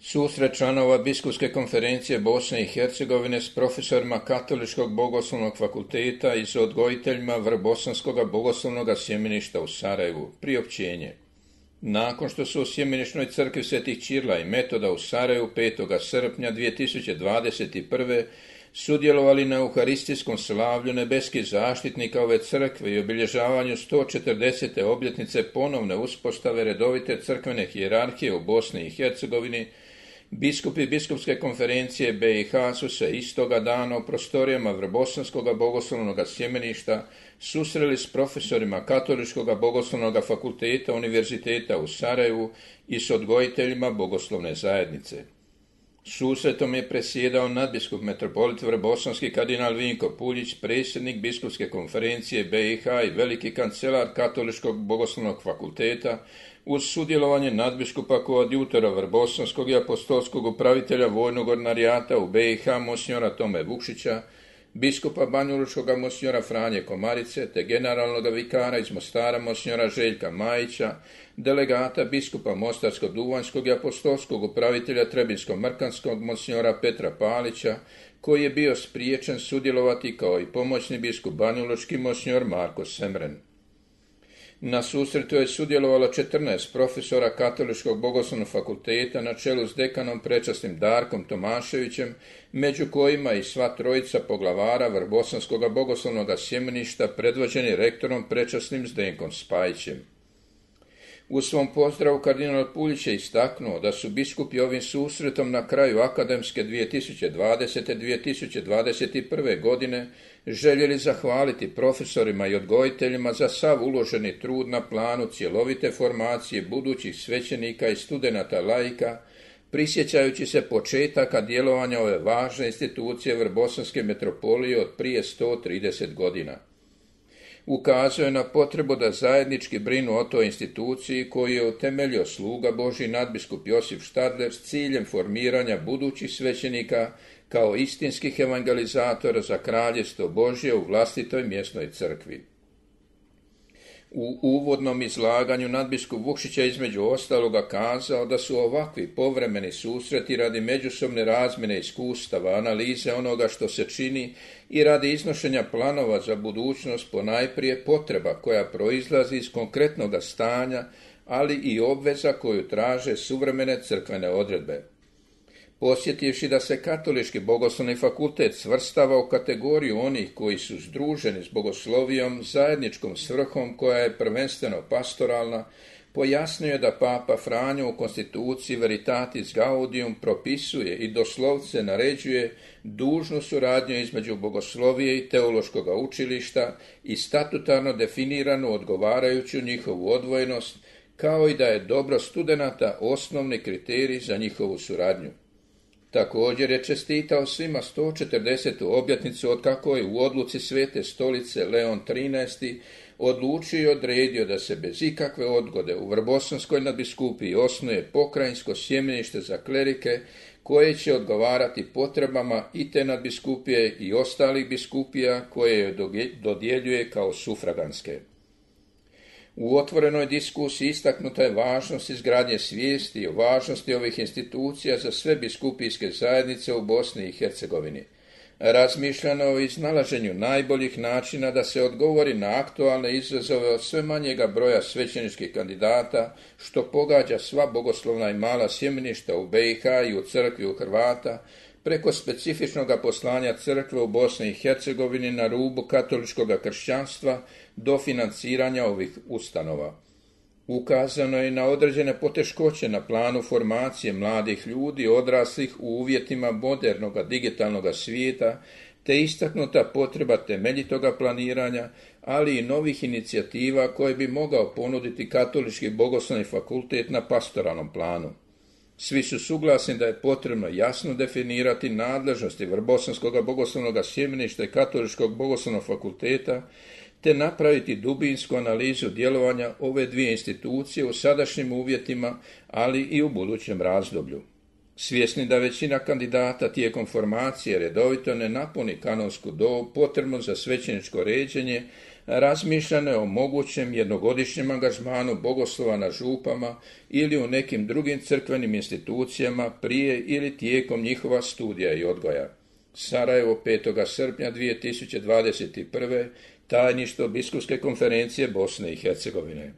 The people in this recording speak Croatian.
Susret članova Biskupske konferencije Bosne i Hercegovine s profesorima Katoličkog bogoslovnog fakulteta i s odgojiteljima Vrbosanskog bogoslovnog sjemeništa u Sarajevu. Priopćenje. Nakon što su u sjemenišnoj crkvi Svetih Ćirila i Metoda u Sarajevu 5. srpnja 2021. sudjelovali na euharistijskom slavlju nebeskih zaštitnika ove crkve i obilježavanju 140. obljetnice ponovne uspostave redovite crkvene hijerarhije u Bosni i Hercegovini, biskupi Biskupske konferencije BiH su se istoga dana u prostorijama Vrbosanskog bogoslovnog sjemeništa susreli s profesorima Katoličkog bogoslovnog fakulteta Univerziteta u Sarajevu i s odgojiteljima bogoslovne zajednice. Susretom je presjedao nadbiskup metropolit Vrbosanski kardinal Vinko Puljić, predsjednik Biskupske konferencije BiH i veliki kancelar Katoličkog bogoslovnog fakulteta, uz sudjelovanje nadbiskupa koadjutora Vrbosanskog i apostolskog upravitelja vojnog ordinarijata u BiH monsignora Tome Vukšića, biskupa banjalučkog monsignora Franje Komarice te generalnog vikara iz Mostara monsignora Željka Majića, delegata biskupa Mostarsko-Duvanjskog i apostolskog upravitelja Trebinsko-Mrkanskog monsignora Petra Palića, koji je bio spriječen sudjelovati kao i pomoćni biskup banjalučki monsignor Marko Semren. Na susretu je sudjelovalo 14 profesora Katoličkog bogoslovnog fakulteta na čelu s dekanom prečasnim Darkom Tomaševićem, među kojima i sva trojica poglavara Vrbosanskog bogoslovnog sjemeništa predvođeni rektorom prečasnim Zdenkom Spajićem. U svom pozdravu kardinal Puljić je istaknuo da su biskupi ovim susretom na kraju akademske 2020-2021. godine željeli zahvaliti profesorima i odgojiteljima za sav uloženi trud na planu cjelovite formacije budućih svećenika i studenata laika, prisjećajući se početaka djelovanja ove važne institucije Vrbosanske metropolije od prije 130 godina. Ukazuje na potrebu da zajednički brinu o toj instituciji koju je utemeljio sluga Božji nadbiskup Josip Štadler s ciljem formiranja budućih svećenika kao istinskih evangelizatora za kraljevstvo Božje u vlastitoj mjesnoj crkvi. U uvodnom izlaganju nadbiskup Vukšić je između ostaloga kazao da su ovakvi povremeni susreti radi međusobne razmjene iskustava, analize onoga što se čini i radi iznošenja planova za budućnost ponajprije potreba koja proizlazi iz konkretnog stanja, ali i obveza koju traže suvremene crkvene odredbe. Posjetivši da se Katolički bogoslovni fakultet svrstava u kategoriju onih koji su združeni s bogoslovijom zajedničkom svrhom koja je prvenstveno pastoralna, pojasnio je da Papa Franjo u konstituciji Veritatis Gaudium propisuje i doslovce naređuje dužnu suradnju između bogoslovije i teološkog učilišta i statutarno definiranu odgovarajuću njihovu odvojenost, kao i da je dobro studenata osnovni kriterij za njihovu suradnju. Također je čestitao svima 140. obljetnicu otkako je u odluci Svete stolice Leon XIII. Odlučio i odredio da se bez ikakve odgode u Vrbosanskoj nadbiskupiji osnuje pokrajinsko sjemenište za klerike koje će odgovarati potrebama i te nadbiskupije i ostalih biskupija koje joj dodjeljuje kao sufraganske. U otvorenoj diskusiji istaknuta je važnost izgradnje svijesti o važnosti ovih institucija za sve biskupijske zajednice u Bosni i Hercegovini. Razmišljano o iznalaženju najboljih načina da se odgovori na aktualne izazove od sve manjega broja svećeničkih kandidata, što pogađa sva bogoslovna i mala sjemeništa u BiH i u crkvi u Hrvata, preko specifičnog poslanja crkve u Bosni i Hercegovini na rubu katoličkog kršćanstva do financiranja ovih ustanova. Ukazano je na određene poteškoće na planu formacije mladih ljudi odraslih u uvjetima modernog digitalnog svijeta, te istaknuta potreba temeljitoga planiranja, ali i novih inicijativa koje bi mogao ponuditi Katolički bogoslovni fakultet na pastoralnom planu. Svi su suglasni da je potrebno jasno definirati nadležnosti Vrbosanskog bogoslovnog sjemeništa i Katoličkog bogoslovnog fakulteta, te napraviti dubinsku analizu djelovanja ove dvije institucije u sadašnjim uvjetima, ali i u budućem razdoblju. Svjesni da većina kandidata tijekom formacije redovito ne napuni kanonsku dob potrebnu za svećeničko ređenje, razmišljano je o mogućem jednogodišnjem angažmanu bogoslova na župama ili u nekim drugim crkvenim institucijama prije ili tijekom njihova studija i odgoja. Sarajevo, 5. srpnja 2021. Tajništvo Biskupske konferencije Bosne i Hercegovine.